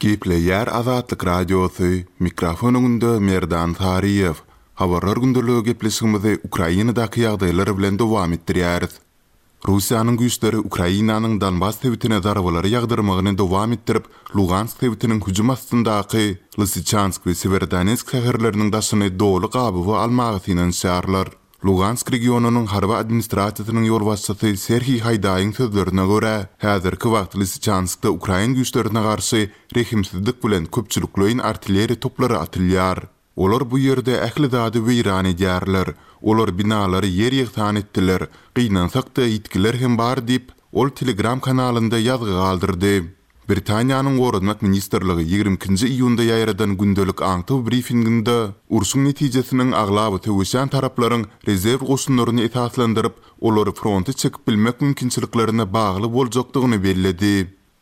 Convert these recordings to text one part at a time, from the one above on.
Gepleýär Azatlyk Radiosy, mikrofon öňünde Merdan Saryýew. Habarlar gündeligi gepleşigimizi Ukrainadaky ýagdaýlar bilen dowam etdirýäris. Russiýanyň güýçleri Ukrainanyň Donbas sebitine zarbalary ýagdyrmagyny dowam etdirip, Lugansk sebitiniň hüjüm astyndaky Lysyçansk we Sewerodonetsk şäherleriniň daşyny doly gabawa almaga synanyşýarlar. Lugansk regionynyň harby administrasiýasynyň ýolbaşçysy Serhiý Haýdaýyň sözlerine görä, häzirki wagt Lysyçanskda ukrain güýçlerine garşy rehimsizlik bilen köpçülikleýin artilleriýa toplary atylýar. Olar bu ýerde ähli zady weýran edýärler. Olar binalary ýer-ýegsan etdiler. Gynansak-da, ýitgiler hem bar diýip, ol Telegram kanalynda ýazgy galdyrdy. Britaniýanyň Goranmak ministrligi 22-nji iýunda ýaýradan gündelik aňtaw brifinginde urşuň netijesiniň aglaba söweşýän taraplaryň rezerw goşunlaryny esaslandyryp, olary fronta çekip bilmek mümkinçiliklerine bagly boljakdygyny belledi.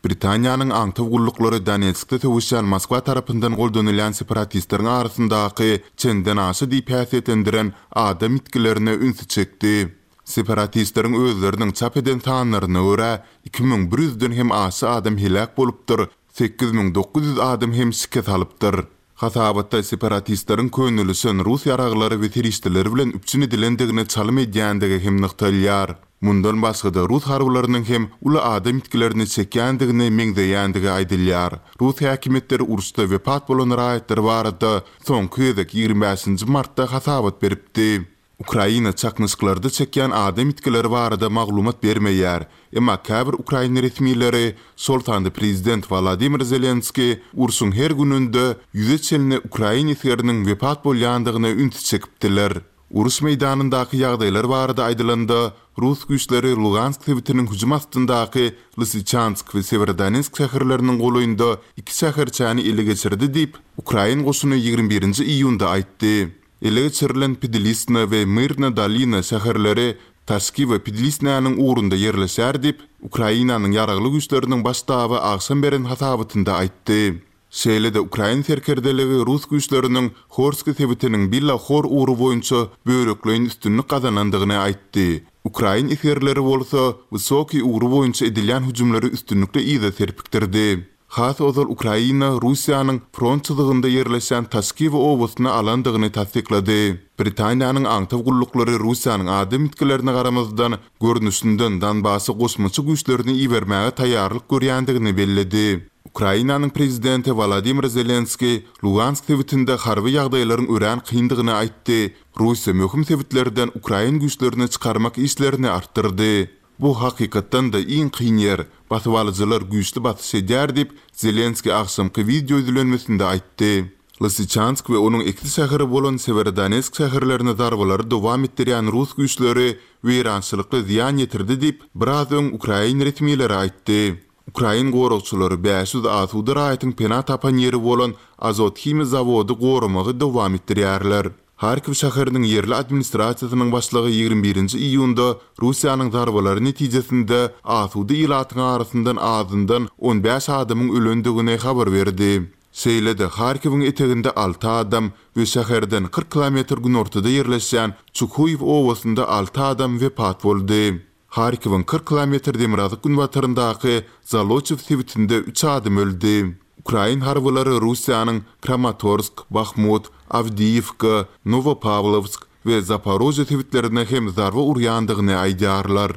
Britaniýanyň aňtaw gulluklary Donetskde söweşýän Moskwa tarapyndan goldanylýan separatistleriň arasyndaky çendenaşa diýip häsiýetlendiren adam ýitgilerine ünsi çekdi. Separatistleriň özleriniň çap eden sanlaryna görä, 2100 ýüzden hem aşa adam heläk bolupdyr, 8900 adam hem şikes alypdyr. Hasabatda separatistleriň könelişen rus ýaraglary we serişdeleri bilen üpjün edilendigine çalym edýändigi hem nygtalýar. Mundan başga-da rus harbylarynyň hem uly adam ýitgilerini çekýändigine meňzeýändigi aýdylýar. Rus häkimiýetleri uruşda wepat bolan raýatlar barada soňky gezek 25-nji martda hasabat beripdi. Ukraina çaknyşyklarda çekýän adam ýitgileri barada maglumat bermeýär. Emma käbir ukrain resmileri, şol sanda prezident Wolodymyr Zelenskiý urşuň her gününde ýüze çenli ukrain esgeriniň wepat bolýandygyna ünsi çekipdiler. Uruş meýdanyndaky ýagdaýlar barada aýdylanda, rus güýçleri Lugansk sebitiniň hüjüm astyndaky Lysyçansk we Sewerodonetsk şäherleriniň golaýynda iki şäherçäni ele geçirdi diýip, ukrain goşuny 21-nji iýunda aýtdy. Ele geçirilen Pidlisna we Myrna Dolina şäherleri Taşki we Pidlisnäniň ugrunda ýerleşýär diýip, Ukrainanyň Ýaragly Güýçleriniň Baş ştaby agşam beren hasabatynda aýtdy. Şeýle-de ukrain serkerdeligi rus güýçleriniň Horski sebitiniň Bila Hor ugry boýunça bölekleýin üstünlik gazanandygyny aýtdy. Ukrain esgerleri bolsa Wysokiý ugry boýunça edilýän hüjümleri üstünlikli yza serpikdirdi. Has ozal Ukraina Russiýanyň front çyzygynda ýerleşýän Taşkiwo obasyny alandygyny tassyklady. Britaniýanyň aňtaw gulluklary Russiýanyň adam ýitgilerine garamazdan, görnüşinden Donbasa goşmaça güýçlerini ibermäge taýýarlyk görýändigini belledi. Ukrainanyň prezidenti Wolodymyr Zelenskiý Lugansk sebitinde harby ýagdaýlaryň örän kyndygyny aýtdy, Russiýa möhüm sebitlerden ukrain güýçlerini çykarmak işlerini artdyrdy. Bu hakykatdan-da iň kyn ýer, basybalyjylar güýçli basyş edýär diýip, Zelenskiý agşamky wideo ýüzlenmesinde aýtdy. Lysyçansk we onuň ekiz şäheri bolan Sewerodonetsk şäherlerine zarbalary dowam etdirýän rus güýçleri weýrançylykly zyýan ýetirdi diýip, biraz öň ukrain resmileri aýtdy. Ukrain goragçylary 500 asuda raýatyň pena tapan ýeri bolan Azot himiýa zawody goramagy dowam etdirýärler. Harkiw şäheriniň ýerli administrasiýasynyň başlygy 21-nji iýunda Russiýanyň zarbalary netijesinde asuda ilatyň arasyndan azyndan 15 adamyň ölendigini habar berdi. Şeýle-de, Harkiwiň eteginde alty adam we şäherden 40 kilometr günortada ýerleşýän Çuhuýew obasynda alty adam wepat boldy. Harkiwiň 40 kilometr demirgazyk-günbataryndaky Zoloçiw sebitinde üç adam öldi. Ukrain harbylary Russiýanyň Kramatorsk, Bahmut, Awdiýiwka, Nowopawlowsk we Zaporožýe sebitlerine hem zarba urýandygyny aýdýarlar.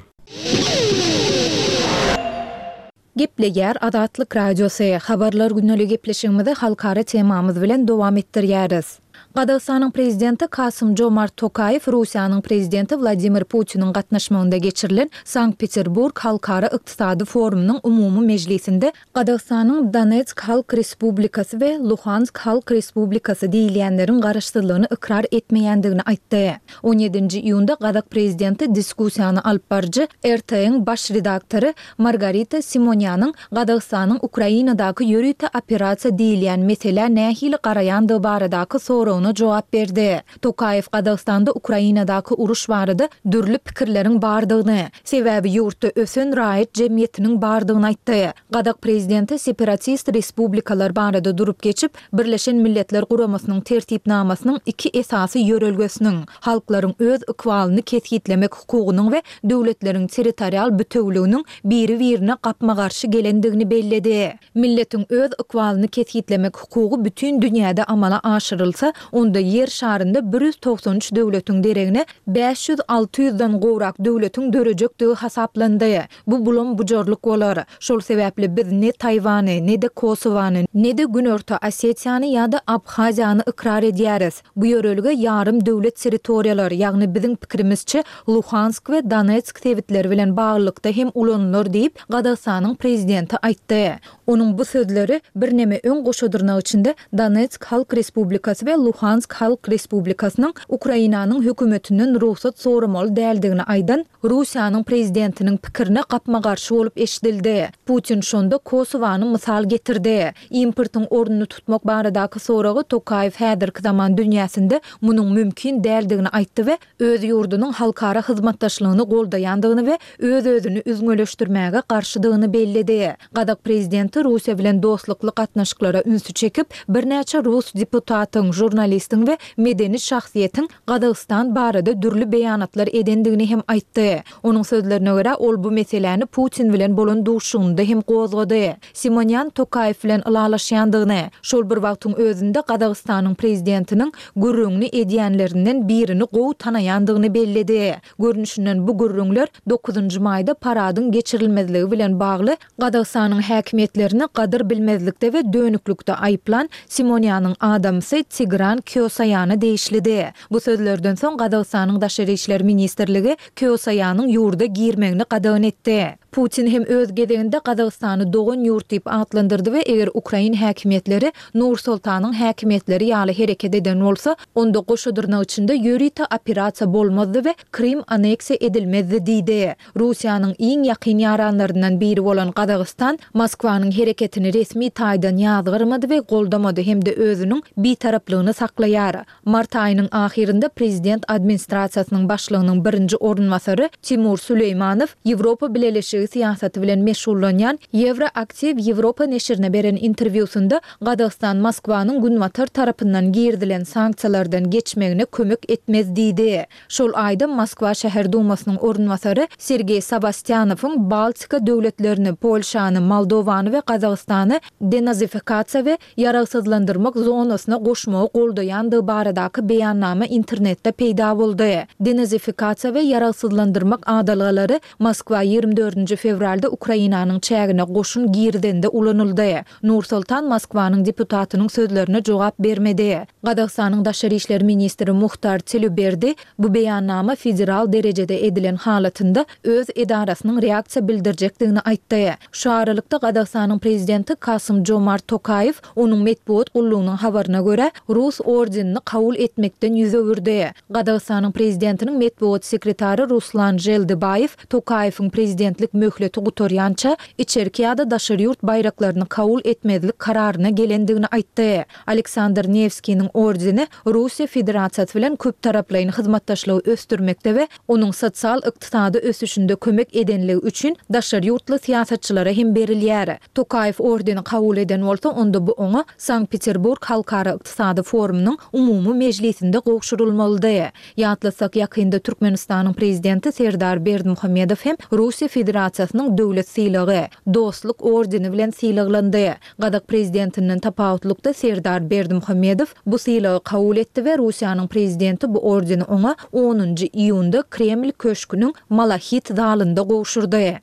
Gepleýär Azatlyk Radiosy, Habarlar güneli gepleşigimizi halkara temamyz bilen dowam etdirýäris. Gazagystanyň Prezidenti Kasym-Jomart Tokaýew Russiýanyň Prezidenti Wladimir Putiniň gatnaşmagynda geçirilen Sankt-Peterburg halkara ykdysady forumynyň umumy mejlisinde Gazagystanyň Donetsk Halk Respublikasy we Luhansk Halk Respublikasy diýilýänleriň garaşsyzlygyny ykrar etmeýändigini aýtdy. On ýedinji iýunda gazak prezidenti diskussiýany alyp baryjy RT-iň baş redaktory Margarita Simonýanyň Gazagystanyň Ukrainadaky ýörite operasiýa diýilýän meselä nähili garaýandygy baradaky soragyna. soragyna jogap berdi. Tokaýew Gazagystanda Ukrainadaky uruş barada dürli pikirleriň bardygyny, sebäbi ýurtda ösen raýat jemgyýetiniň bardygyny aýtdy. Gazak prezidenti separatist respublikalar barada durup geçip, Birleşen Milletler Guramasynyň Tertipnamasynyň iki esasy ýörelgesiniň, halklaryň öz ykbalyny kesgitlemek hukugynyň we döwletleriň territorial bütewüliginiň biri-birine gapma-garşy gelendigini belledi. Milletiň öz ykbalyny kesgitlemek hukugy bütin dünýäde amala aşyrylsa, onda Ýer şarynda 193 döwletiň deregine 500-600 den gowrak döwletiň dörejekdigi hasaplandy. Bu bulam-bujarlyk bolar. Şol sebäpli biz ne Taýwany, ne-de Kosowany, ne-de Günorta Osetiýany ýa-da Abhaziýany ykrar edýäris. Bu ýörelge ýarym döwlet territoriýalar, ýagny biziň pikirimizçe, Luhansk we Donetsk sebitleri bilen baglylykda hem ulanylar diýip, Gazagystanyň prezidenti aýtdy. Onuň bu sözleri birneme öň goşa dyrnak içinde Donetsk Halk Respublikasy we Luhansk Halk Respublikasynyň Ukrainanyň hökümetinden rugsat soramaly däldigini aýdan Russiýanyň prezidentiniň pikirine gapma-garşy bolup eşidildi. Putin şonda Kosowany mysal getirdi. Importyň ornuny tutmak baradaky soraga Tokaýew häzirki zaman dünýäsinde munuň mümkin däldigini aýtdy we öz ýurdunyň halkara hyzmatdaşlygyny goldaýandygyny we öz-özüni üzňeleşdirmäge garşydygyny belledi. Gazak prezidenti Russiýa bilen dostlukly gatnaşyklara ünsi çekip, birnäçe rus deputatyň, žurnalistiň we medeni şahsyýetiň Gazagystan barada dürli beýanatlar edendigini hem aýtdy. Onuň sözlerine görä, ol bu meseläni Putin bilen bolan duşuşygynda hem gozgady. Simonýan Tokaýew bilen ylalaşýandygyny, şol bir wagtyň özünde Gazagystanyň prezidentiniň gürrüňini edýänlerinden birini gowy tanaýandygyny belledi. Görnüşinden bu gürrüňler dokuzynjy maýda paradyň geçirilmezligi bilen bagly Gazagystanyň häkimiýetlerini gadyr bilmezlikde we dönüklikde aýyplan Simonýanyň adamsy Tigran Kýosaýana degişlidi. Bu sözlerden soň Gazagystanyň Daşary işler ministrligi Kýosaýanyň ýurda girmegini gadagan etdi. Putin hem öz gezeginde Gazagystany dogan ýurt diýip atlandyrdy we eger ukrain häkimiýetleri Nur-Soltanyň häkimiýetleri ýaly hereket eden bolsa, onda goşa dyrnak içinde ýörite operasiýa bolmazdy we Krym anneksiýa edilmezdi diýdi. Russiýanyň iň ýakyn ýaranlaryndan biri bolan Gazagystan Moskwanyň hereketini resmi taýdan ýazgarmady we goldamady hem-de özüniň bitaraplygyny saklaýar. Mart aýynyň ahyrynda prezident administrasiýasynyň başlygynyň birinji orunbasary Timur Süleýmanow Ýewropa Bileleşigi syýasaty bilen meşgullanýan Ýewroaktiw Ýewropa neşirine beren interwýusynda Gazagystan Moskwanyň Günbatar tarapyndan girizilen sanksiýalardan geçmegine kömek etmez diýdi. Şol aýda Moskwa şäher dumasynyň orunbasary Sergeý Sawastýanowyň Baltika döwletlerini, Polşany, Moldowany we Gazagystany denazifikasiýa we ýaragsyzlandyrmak zonasyna goşmagy goldaýandygy baradaky beýannama internetde peýda boldy. Denazifikasiýa we ýaragsyzlandyrmak adalgalary Moskwa 24-nji fewralda Ukrainanyň çägine goşun girizende ulanyldy. Nur-Sultan Moskwanyň deputatynyň sözlerine jogap bermedi. Gazagystanyň daşary işler ministri Muhtar Tileuberdi bu beýannama federal derejede edilen halatynda öz edarasynyň reaksiýa bildirjekdigini aýtdy. Şu aralykda, Gazagystanyň prezidenti Kasym-Jomart Tokaýew, onuň metbugat gullugynyň habaryna görä, rus ordenini kabul etmekden ýüz öwürdi. Gazagystanyň prezidentiniň metbugat sekretary Ruslan Želdibaýew Tokaýewiň prezidentlik möhleti gutarýança içerki ýa-da daşary ýurt baýraklaryny kabul etmezlik kararyna gelendigini aýtdy. Aleksandr Newskiniň ordeni Russiýa Federasiýasy bilen köptaraplaýyn hyzmatdaşlygy ösdürmekde we onuň sosial-ykdysady ösüşinde kömek edenligi üçin daşary ýurtly syýasatçylara hem berilýär. Tokaýew ordeni kabul eden bolsa, onda bu oňa Sankt-Peterburg halkara ykdysady forumynyň umumy mejlisinde gowşurylmalydy. Ýatlatsak, ýakynda Türkmenistanyň Prezidenti Serdar Berdimuhamedow hem Russiýa Federasiýasynyň döwlet sylagy, Dostluk ordeni bilen sylaglandy. Gazak prezidentinden tapawutlykda Serdar Berdimuhamedow bu sylagy kabul etdi we Russiýanyň prezidenti bu ordeni oňa onunjy iýunda Kreml köşgüniň Malahit zalynda gowşurdy.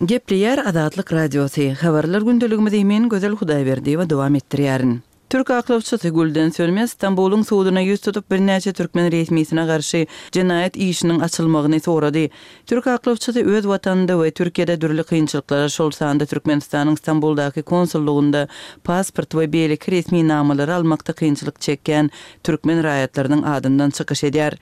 Gepleýär Azatlyk Radiosy, Habarlar gündeligimizi men Gözel Hudaýberdiýewa dowam etdirýärin. Türk aklawçysy Gülden Sönmez Stambulyň suduna ýüz tutup, birnäçe türkmen resmisine garşy jenaýat işiniň açylmagyny sorady. Türk aklawçysy öz watanynda we Türkiýede dürli kynçylyklara, şol sanda Türkmenistanyň Stambuldaky konsullygynda pasport we beýleki resminamalary almakda kynçylyk çekýän türkmen raýatlarynyň adyndan çykyş edýär.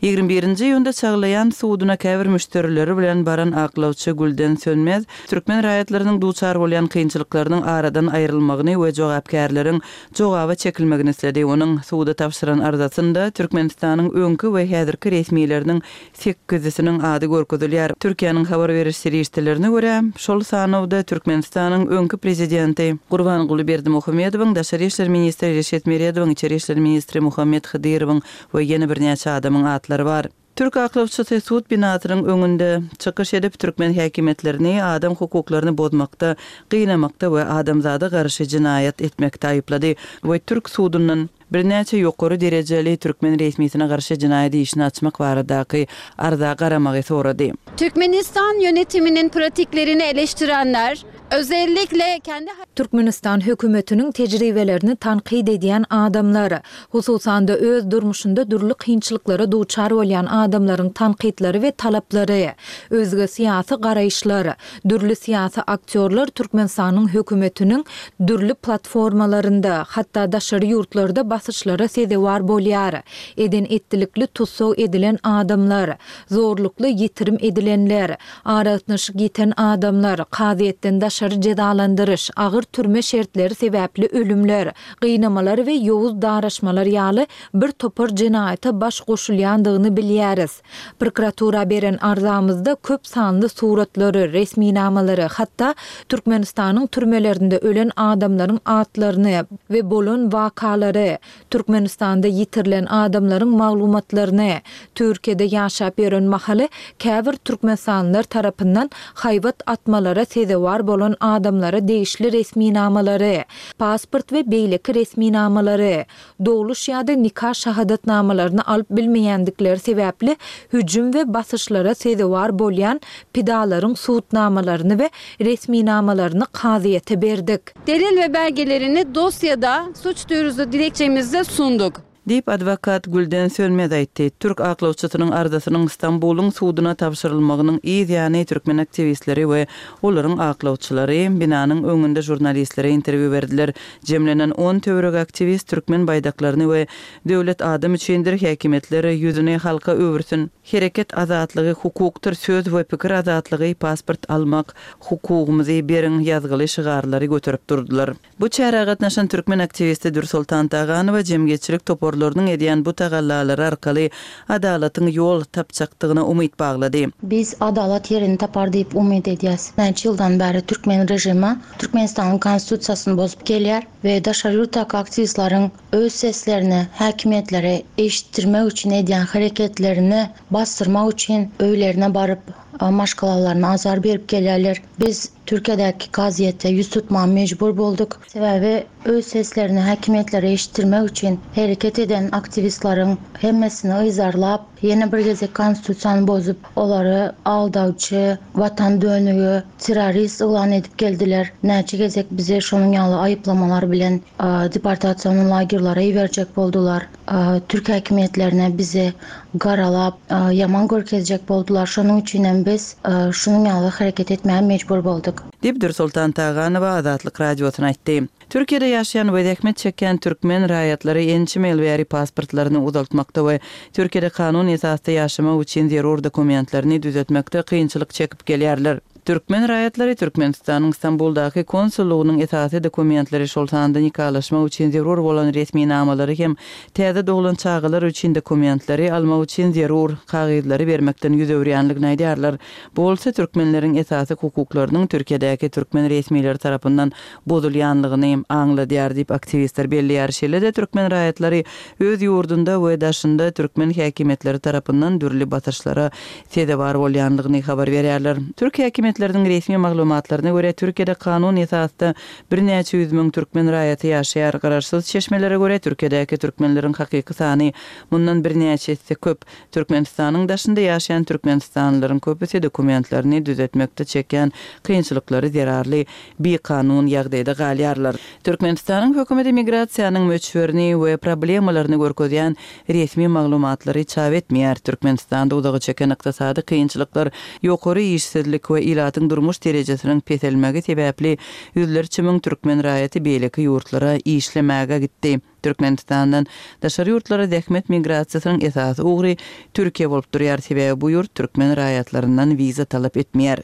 21 nji iýunda Çaglaýan suduna käbir müşderileri bilen baran aklawçy Gülden Sönmez türkmen raýatlarynyň duçar bolýan kynçylyklarynyň aradan aýrylmagyny we jogapkärleriň jogaba çekilmegini isledi. Onuň suda tabşyran arzasynda Türkmenistanyň öňki we häzirki resmileriniň sekizisiniň ady görkezilýär. Türkiýäniň habar beriş serişdelerine görä, şol sanawda Türkmenistanyň öňki prezidenti Gurbanguly Berdimuhamedowyň, daşary işler ministri Reşit Meredowyň, içeri işler ministri Muhammet Hydyrowyň we ýene birnäçe adamyň atlary bar. Türk aklawçysy sud binasynyň öňünde çykyş edip, türkmen häkimiýetlerini adam hukuklaryny bozmakda, gynamakda we adamzada garşy jenaýat etmekde aýyplady we türk sudundan birnäçe ýokary derejeli türkmen resmisine garşy jenaýat işini açmak baradaky arza garamagy sorady. Türkmenistan yönetiminin pratiklerini eleştirenler, özellikle kendi. Türkmenistan hökümetiniň tejribelerini tankyt edýän adamlar, hususan-da öz durmuşynda dürli kynçylyklara duçar bolýan adamlaryň tankytlary we talaplary, özge syýasy garaýyşlar, Dürli syýasy aktýorlar Türkmenistanyň hökümetiniň dürli platformalarynda, hatda daşary ýurtlarda basyşlara sezewar bolýar. Eden-etdilikli tussag edilen adamlar, zorlukly ýitirim edilenler, aragatnaşyk ýiten adamlar, kazyýetden daşary jezalandyryş, agyr türme şertleri sebäpli ölümler, gynamalar we ýowuz daraşmalar ýaly bir topar jenaýata baş goşulýandygyny bilýäris. Prokuratura beren arzamyzda köp sanly suratlary, resminamalary, hatda Türkmenistanyň türmelerinde ölen adamlaryň atlaryny we bolan wakalary, Türkmenistanda ýitirilen adamlaryň maglumatlaryny, Türkiýede ýaşap ýören mahaly käbir türkmenistanlylar tarapyndan haýbat atmalara sezewar bolan adamlara degişli resminamalary, pasport we beýleki resminamalary, dogluş ýa-da nika şahadatnamalaryny alyp bilmeýändikleri sebäpli hüjüm we basyşlara sezewar bolýan pidalaryň subutnamalaryny we resminamalaryny kazyýete berdik. Delil we belgelerini dosyada suç duyurusu dilekçemizde sunduk. Diýip, adwokat Gülden Sönmez aýtdy. Türk aklawçysynyň arzasynyň Stambulyň suduna tabşyrylmagynyň yz ýany türkmen aktiwistleri we olaryň aklawçylary binanyň öňünde žurnalistlere interwýu berdiler. Jemlenen on töweregi aktiwist türkmen baýdaklaryny we Döwlet adam üçindir, häkimiýetler ýüzüni halka öwürsin, hereket azatlygy hukukdyr, söz we pikir azatlygy, pasport almak hukugymyzy beriň ýazgyly şygarlary göterip durdular. Bu çärä gatnaşan türkmen aktiwisti Dürsoltan Taganowa jemgyýetçilik toparlarynyň edýän bu tagallalary arkaly adalatyň ýol tapjakdygyna umyt baglady. Biz adalat ýerini tapar diýip umyt edýäs. Näçe ýyldan bäri türkmen režimi Türkmenistanyň Konstitusiýasyny bozup gelýär we daşary ýurtdaky aktiwistleriň öz seslerini häkimiýetlere eşitdirmek üçin edýän hereketlerini basdyrmak üçin öýlerine baryp, maşgalalaryna azar berip gelýärler. Biz Türkiýedäki kazyýete ýüz tutmaga mejbur bolduk. Sebäbi öz seslerini häkimiýetlere eşitdirmek üçin hereket eden aktiwistleriň hemmesini yzarlap, ýene bir gezek konstitusiýany bozup, olary aldawçy, watan dönügi, terrorist yglan edip geldiler. Näçe gezek bizi şonuň ýaly aýyplamalar bilen deportasion lagerlere iberjek boldular. Türk häkimiýetlerine bizi garalap, ýaman görkezjek boldular. Şonuň üçinem biz şunuň ýaly hereket etmäge mejbur bolduk. Diýip, Dürsoltan Taganowa Azatlyk Radiosyna aýtdy. Türkiýede ýaşaýan we zähmet çekýän türkmen raýatlary ençeme ýyl bäri pasportlaryny uzaltmakda we Türkiýede kanun esasda ýaşamak üçin zerur dokumentlerini düzetmekde kynçylyk çekip gelýärler. Türkmen raýatlary Türkmenistanyň Stambuldaky konsullygynyň esasy dokumentleri, şol sanda nikalaşmak üçin zerur bolan resminamalary hem täze doglan çagalar üçin dokumentleri almak üçin zerur kagyzlary bermekden ýüz öwürýänligini aýdýarlar. Bu bolsa türkmenleriň esasy hukuklarynyň Türkiýedäki türkmen resmileri tarapyndan bozulýanlygyny aňladýar diýip, aktiwistler belleýär. Şeýle-de türkmen raýatlary öz ýurdunda we daşynda türkmen häkimiýetleri tarapyndan dürli basyşlara sezewar bolýanlygyny habar berýärler. Türk häkimiýetleri. häkimiýetleriniň resmi maglumatlaryna görä, Türkiýede kanun esasda birnäçe ýüz müň türkmen raýaty ýaşaýar. Garaşsyz çeşmelere görä, Türkiýedäki türkmenleriň hakyky sany mundan birnäçe esse köp. Türkmenistanyň daşynda ýaşaýan türkmenistanlylaryň köpüsi dokumentlerini düzetmekde çekýän kynçylyklary zerarly bikanun ýagdaýda galýarlar. Türkmenistanyň hökümeti migrasiýanyň möçberini we problemalaryny görkezýän resmi maglumatlary çap etmeýär. Türkmenistanda uzaga çeken ykdysady kynçylyklar, ýokary işsizlik we ilatyň durmuş derejesiniň peselmegi sebäpli ýüzlerçe müň türkmen raýaty beýleki ýurtlara işlemäge gitdi. Türkmenistandan daşary ýurtlara zähmet migrasiýasynyň esasy ugry Türkiýe bolup durýar, sebäbi bu ýurt türkmen raýatlaryndan wiza talap etmeýär.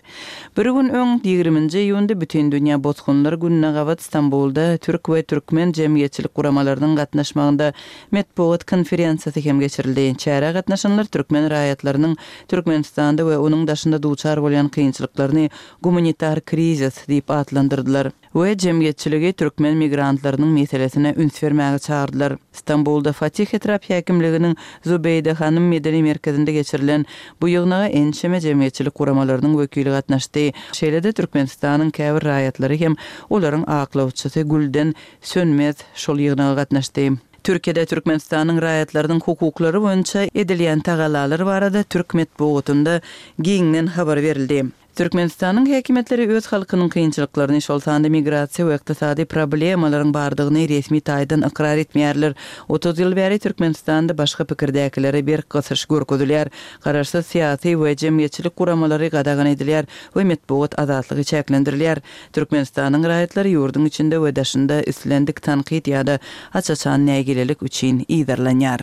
Bir gün öň, ýigriminji iýunda Bütindünýä bosgunlar gününe gabat Stambulda türk we türkmen jemgyýetçilik guramalarynyň gatnaşmagynda metbugat konferensiýasy hem geçirildi. Çärä gatnaşanlar türkmen raýatlarynyň Türkmenistanda we onuň daşynda duçar bolýan kynçylyklaryny gumanitar krizis diýip atlandyrdylar. We jemgyýetçiligi türkmen migrantlarynyň meselesine üns bermäge çagyrdylar. Stambulda Fatih etrap häkimliginiň Zubeýde hanym medeni merkezinde geçirilen bu ýygnaga ençeme jemgyýetçilik guramalarynyň wekili gatnaşdy. Şeýle-de Türkmenistanyň käbir raýatlary hem olaryň aklawçysy Gülden Sönmez şol ýygnaga gatnaşdy. Türkiýede Türkmenistanyň raýatlarynyň hukuklary boýunça edilýän tagallalar barada türk metbugatynda giňden habar berildi. Türkmenistanyň häkimiýetleri öz halkynyň kynçylyklaryny, şol sanda migrasiýa we ykdysady problemalaryň bardygyny resmi taýdan ykrar etmeýärler. 30 ýyl bäri Türkmenistanda başga pikirdäkilere berk gysyş görkezilýär. Garaşsyz syýasy we jemgyýetçilik guramalary gadagan edilýär we metbugat azatlygy çäklendirilýär. Türkmenistanyň raýatlary ýurduň içinde we daşynda islendik tankyt ýa-da aç-açan nägilelik üçin yzarlanýar.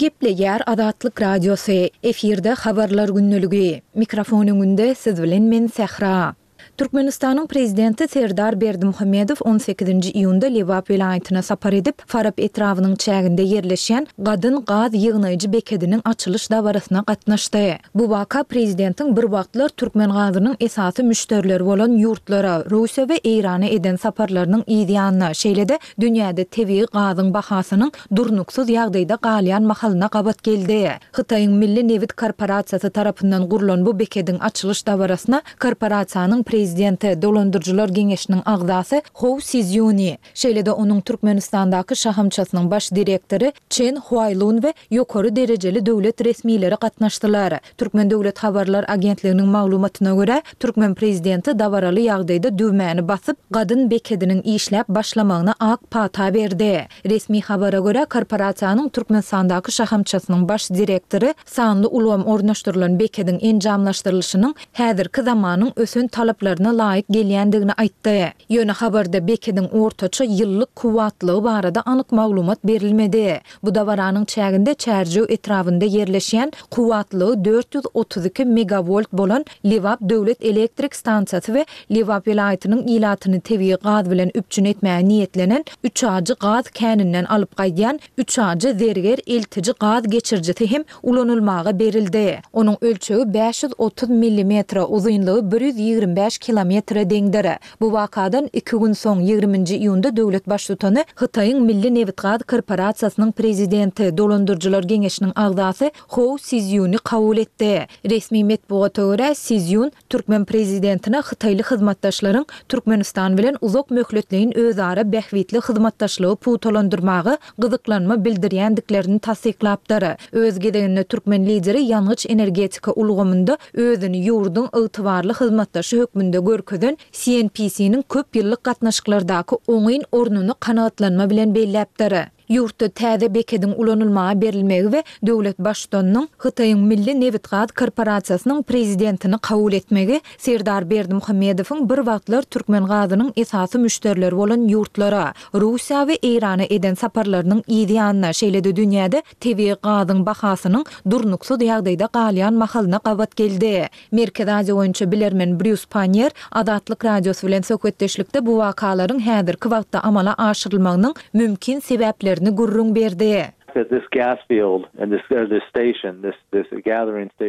Gepleýär Azatlyk Radiosy, efirde Habarlar gündeligi. Mikrofon öňünde siz bilen men Sähra. Türkmenistanyň Prezidenti Serdar Berdimuhamedow on sekizinji iýunda Lebap welaýatyna sapar edip, Farap etrabynyň çäginde ýerleşýän Gadyn gaz ýygnaýjy bekediniň açylyş dabarasyna gatnaşdy. Bu waka prezidentiň bir wagtlar türkmen gazynyň esasy müşderileri bolan ýurtlara, Russiýa we Eýrana eden saparlarynyň yz ýanyna, şeýle-de dünýäde tebigy gazyň bahasynyň durnuksyz ýagdaýda galýan mahalyna gabat geldi. Hytaýyň Milli nebit korporasiýasy tarapyndan gurlan bu bekediň açylyş dabarasyna korporasiýanyň prezidenti, dolandyryjylar geňeşiniň agzasy Hou Sizýuni, şeýle-de onuň Türkmenistandaky şahamçasynyň baş direktory Çen Huaýlun we ýokary derejeli döwlet resmileri gatnaşdylar. Türkmen döwlet habarlar agentliginiň maglumatyna görä, türkmen prezidenti dabaraly ýagdaýda düwmäni basyp, gadyn bekediniň işläp başlamagyna ak pata berdi. Resmi habara görä, korporasiýanyň Türkmenistandaky şahamçasynyň baş direktory sanly ulgam ornaşdyrylan bekediň enjamlaşdyrylyşynyň häzirki zamanyň ösen talaplaryna laýyk gelýändigini aýtdy. Ýöne habarda bekediň ortaça ýyllyk kuwwatlygy barada anyk maglumat berilmedi. Bu dabaranyň çäginde Çärjew etrabynda ýerleşýän kuwwatlygy 432 megawolt bolan Lebap döwlet elektrik stansiýasy we Lebap welaýatynyň ilatyny tebigy gaz bilen üpjün etmäge niýetlenen Üçajy gaz käninden alyp gaýdýan Üçajy-Zerger eltiji gaz geçirijisi hem ulanylmaga berildi. Onuň ölçegi 530 millimetre, uzynlygy 125 kilometre deňdir. Bu wakadan iki gün soň, ýigriminji iýunda döwlet Baştutany Hytaýyň Milli nebitgaz korporasiýasynyň prezidenti, dolandyryjylar geňeşiniň agzasy Hou Sizýuny kabul etdi. Resmi metbugata görä, Sizýun türkmen prezidentine hytaýly hyzmatdaşlaryň Türkmenistan bilen uzak möhletleýin özara bähbitli hyzmatdaşlygy pugtalandyrmaga gyzyklanma bildirýändiklerini tassyklapdyr. Öz gezeginde türkmen Lideri ýangyç-energetika ulgamynda özüni ýurduň ygtybarly hyzmatdaşy hökmünde görkezen CNPC-niň köp ýyllyk gatnaşyklardaky oňyn ornuny kanagatlanma bilen belläpdir. Ýurtda täze bekediň ulanylmaga berilmegi we döwlet Baştutanynyň Hytaýyň Milli nebitgaz korporasiýasynyň prezidentini kabul etmegi Serdar Berdimuhamedowyň bir wagtlar türkmen gazynyň esasy müşderileri bolan ýurtlara, Russiýa we Eýrana eden saparlarynyň yz ýanyna, şeýle-de dünýäde tebigy gazyň bahasynyň durnuksyz ýagdaýda galýan mahalyna gabat geldi. Merkezi Aziýa boýunça bilermen Brýus Panniýer Azatlyk Radiosy bilen söhbetdeşlikde bu wakalaryň häzirki wagtda amala aşyrylmagynyň mümkin sebäplerini gürrüň berdi.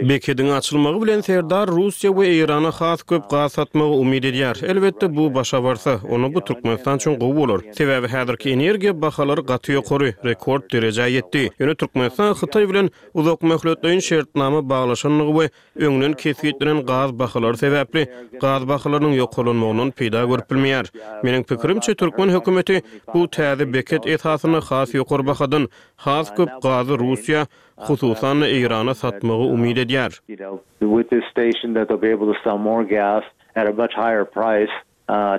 Bekediň açylmagy bilen Serdar Russiýa we Eýrana has köp gaz satmagy umyt edýär. Elbetde, bu başa barsa, onda bu Türkmenistan üçin gowy bolar. Sebäbi häzirki energiýa bahalary gaty ýokary, rekord derejä ýetdi. Ýöne Türkmenistan Hytaý bilen uzakmöhletleýin şertnama baglaşandygy we öňden kesgitlenen gaz bahalary sebäpli gaz bahalarynyň ýokarlanmagyndan peýda görüp bilmeýär. Meniň pikirimçe, türkmen hökümeti bu täze beket esasynda has ýokary bahadan has köp gazy Russiýa, hususan-da Eýrana satmagy umyt edýär.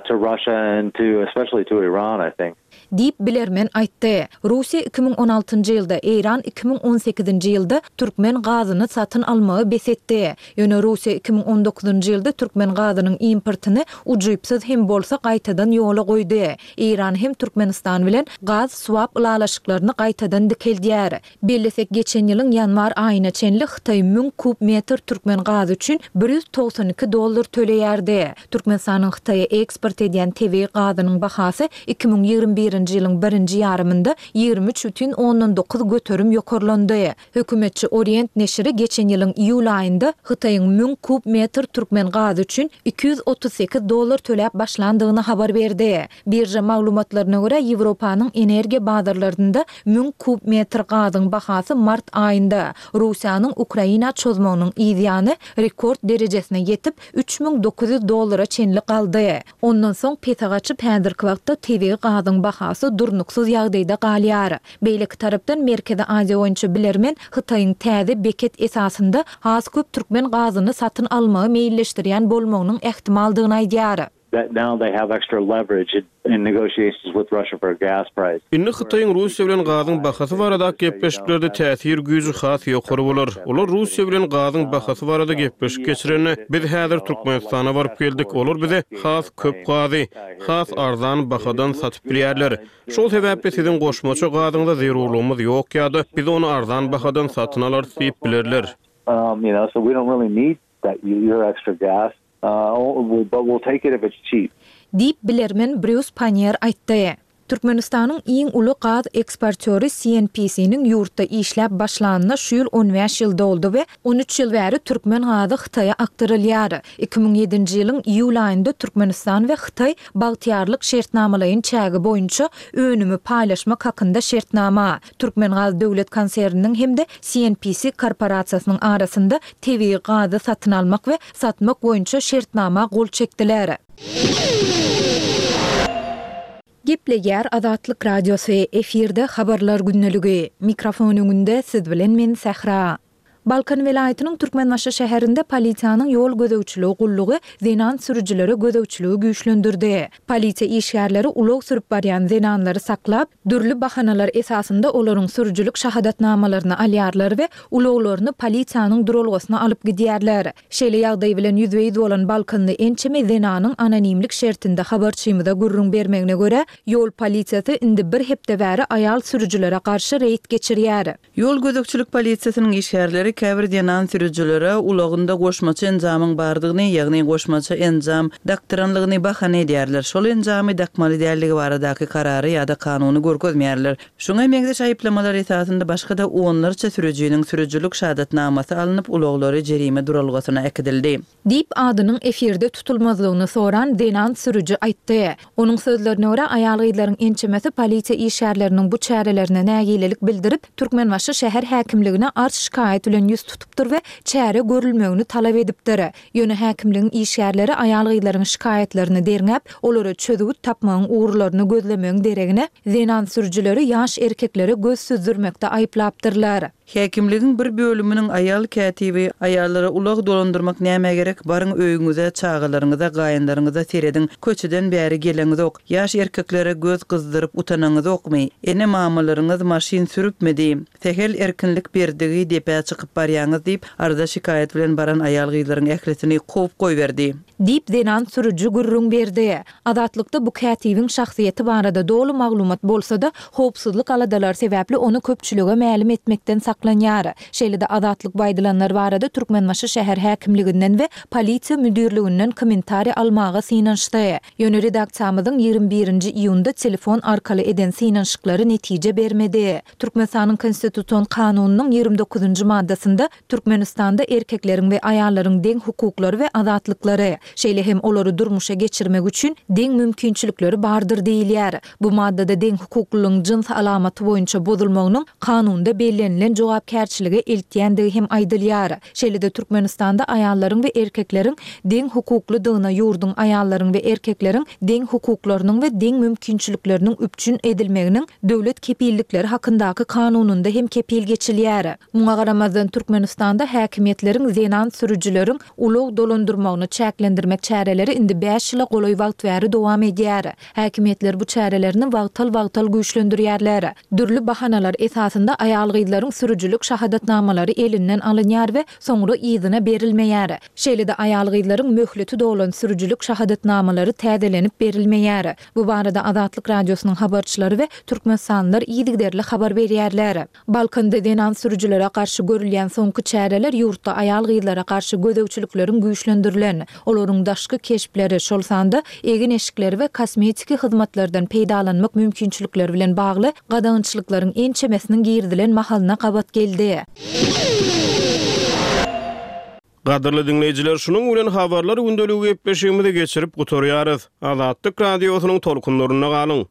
To Russia and to especially to Iran I think. Diýip, bilermen aýtdy. Russiýa 2016-njy ýylda, Eýran 2018-nji ýylda türkmen gazyny satyn almagy bes etdi. Ýöne Russiýa 2019-njy ýylda türkmen gazynyň importyny ujypsyz hem bolsa gaýtadan ýola goýdy. Eýran hem Türkmenistan bilen gaz swap ylalaşyklaryny gaýtadan dikeldýär. Bellesek, geçen ýylyň ýanwar aýyna çenli Hytaý müň kub metr türkmen gazy üçin 192 dollar töleýärdi. Türkmenistanyň Hytaýa eksport edýän tebigy gazynyň bahasy 2021-nji ýylyň birinji ýarymynda 23 bütin ondan 9% ýokarlandy. Hökümetçi Orient neşiri geçen ýylyň iýul aýynda Hytaýyň müň kub metr türkmen gazy üçin 238 dollar töläp başlandygyny habar berdi. Birža maglumatlaryna görä, Ýewropanyň energiýa bazarlarynda müň kub metr gazyň bahasy mart aýynda, Russiýanyň Ukraina çozmagynyň yz ýany, rekord derejesine ýetip, 3900 dollara çenli galdy. Ondan soň pese gaçyp, häzirki wagtda tebigy gazyň bahasy durnuksyz ýagdaýda galýar. Beýleki tarapdan, Merkezi Aziýa boýunça bilermen Hytaýyň täze beket esasynda has köp türkmen gazyny satyn almagy meýilleşdirýän bolmagynyň ähtimaldygyny aýdýar. That now they have extra leverage in negotiations with Russia for a gas price. Indi Hytaýyň Russiýa bilen gazyň bahasy baradaky gepleşiklerde täsir güýji has ýokary bolar. Olar Russiýa bilen gazyň bahasy barada gepleşik geçirende, biz häzir Türkmenistana baryp geldik, olar bize has köp gazy, has arzan bahadan satyp bilýärler. Şol sebäpli siziň goşmaça gazyňyza zerurlygymyz ýok ýa-da biz ony arzan bahadan satyn alarys diýip bilerler. You know, so we don't really need that your extra gas. But we'll take it if it's cheap. Diýip, bilermen Brýus Pannier aýtdy. Türkmenistanyň iň uly gaz eksportýory CNPC-niň ýurtda işläp başlanyna şu ýyl on bäş ýyl doldy we on üç ýyl bäri türkmen gazy Hytaýa akdyrylýar. 2007-nji ýylyň iýul aýynda Türkmenistan we Hytaý Bagtyýarlyk şertnamalaýyn çägi boýunça önümi paýlaşmak hakynda şertnama, Türkmengaz döwlet konserniniň hem-de CNPC korporasiýasynyň arasynda tebigy gazy satyn almak we satmak boýunça şertnama gol çekdiler. Gepleýär Azatlyk Radiosy, efirde Habarlar gündeligi. Mikrofon öňünde siz bilen men Sähra. Balkan welaýatynyň Türkmenbaşy şäherinde polisiýanyň ýol gözegçiligi gullugy zenan sürüjilere gözegçiligi güýçlendirdi. Polisiýa işgärleri ulag sürüp barýan zenanlary saklap, dürli bahanalar esasynda olaryň sürüjilik şahadatnamalaryny alýarlar we ulaglaryny polisiýanyň duralgasyna alyp gidýärler. Şeýle ýagdaý bilen ýüzbe-ýüz bolan balkanly ençeme zenanyň anonimlik şertinde habarçymyza gürrüň bermegine görä, ýol polisiýasy indi bir hepde bäri aýal sürüjilere garşy reýd geçirýär. Ýol gözegçilik polisiýasynyň işgärleri käbir zenan sürüjilere ulagynda goşmaça enjamyň bardygyny, ýagny goşmaça enjam dakdyranlygyny bahana edýärler. Şol enjamy dakmaly däldigi baradaky karary ýa-da kanuny görkezmeýärler. Şuňa meňzeş aýyplamalar esasynda başga-da onlarça sürüjiniň sürüjilik şahadatnamasy alnyp, ulaglary jerime duralgasyna äkidildi. Diýip, adynyň efirde tutulmazlygyny soran zenan sürüji aýtdy. Onuň sözlerine görä, aýal-gyzlaryň ençemesi polisiýa işgärleriniň bu çärelerine nägilelik bildirip, Türkmenbaşy şäher häkimligine arz-şikaýat bilen ýüz tutupdyr we çäre görülmegini talap edipdir. Ýöne häkimligiň işgärleri aýal-gyzlaryň şikaýatlaryny derňäp, olara çözgüt tapmagyň ugurlaryny gözlemegiň deregine, zenan sürüjileri ýaş erkeklere göz süzdürmekde aýyplapdyrlar. Häkimligiň bir bölüminiň aýal kätibi, Aýallara ulag dolandyrmak nämä gerek, baryň öýüňize, çagalaryňyza, gaýynlaryňyza serediň, köçeden bäri geleňizok, ýaş erkeklere göz gyzdyryp utanaňyzokmy, ene-mamalaryňyz maşyn sürüpmidi, sähel erkinlik berdigi depä çykyp barýaňyz diýip, arza-şikaýat bilen baran aýal-gyzlaryň ählisini kowup goýberdi. Diýip, zenan sürüji gürrüň berdi. Azatlykda bu kätibiň şahsyýeti barada doly maglumat bolsa-da, howpsuzlyk aladalary sebäpli ony köpçülige mälim etmekden saklandy. saklanýar. Şeýle-de Azatlyk bu aýdylanlar barada Türkmenbaşy şäher häkimliginden we polisiýa müdirliginden kommentariý almaga synanyşdy. Ýöne redaksiýamyzyň 21 nji iýunda telefon arkaly eden synanyşyklary netije bermedi. Türkmenistanyň Konstitusion kanunynyň 29 nji maddasynda Türkmenistanda erkekleriň we aýallaryň deň hukuklary we azatlyklary, şeýle hem olary durmuşa geçirmek üçin deň mümkinçilikleri bardyr diýilýär. Bu maddada deň hukuklylygyň jyns alamaty boýunça bozulmagynyň kanunda bellenilen jogapkärçilige eltýändigi hem aýdylýar. Şeýle-de Türkmenistanda aýallaryň we erkekleriň deň hukuklydygyna ýurduň aýallaryň we erkekleriň deň hukuklarynyň we deň mümkinçilikleriniň üpjün edilmeginiň döwlet kepillikleri hakyndaky kanunynda hem kepil geçilýär. Muňa garamazdan, Türkmenistanda häkimiýetleriň zenan sürüjileriň ulag dolandyrmagyny çäklendirmek çäreleri indi bäş ýyla golaý wagt bäri dowam edýär. Häkimiýetler bu çärelerini wagtal-wagtal güýçlendirýärler. Dürli bahanalar esasynda aýal-gyzlaryň sürüjilik şahadatnamalary elinden alynýar we soňra yzyna berilmeýär. Şeýle-de aýal-gyzlaryň möhleti dolan sürüjilik şahadatnamalary täzelenip berilmeýär. Bu barada Azatlyk Radiosynyň habarçylary we türkmenistanlylar yzygiderli habar berýärler. Balkanda zenan sürüjilere garşy görülýän soňky çäreler ýurtda aýal-gyzlara garşy gözegçilikleriň güýçlendirilen, olaryň daşky keşpleri, şol sanda egin-eşikleri we kosmetiki hyzmatlardan peýdalanmak mümkinçilikleri bilen bagly gadagançylyklaryň ençemesiniň girizilen mahalyna gabat geldi. Gadyrly diňleýjiler, şunuň bilen Habarlar gündeligi gepleşigimizi geçirip gutarýarys. Azatlyk Radiosynyň tolkunlarynda galyň!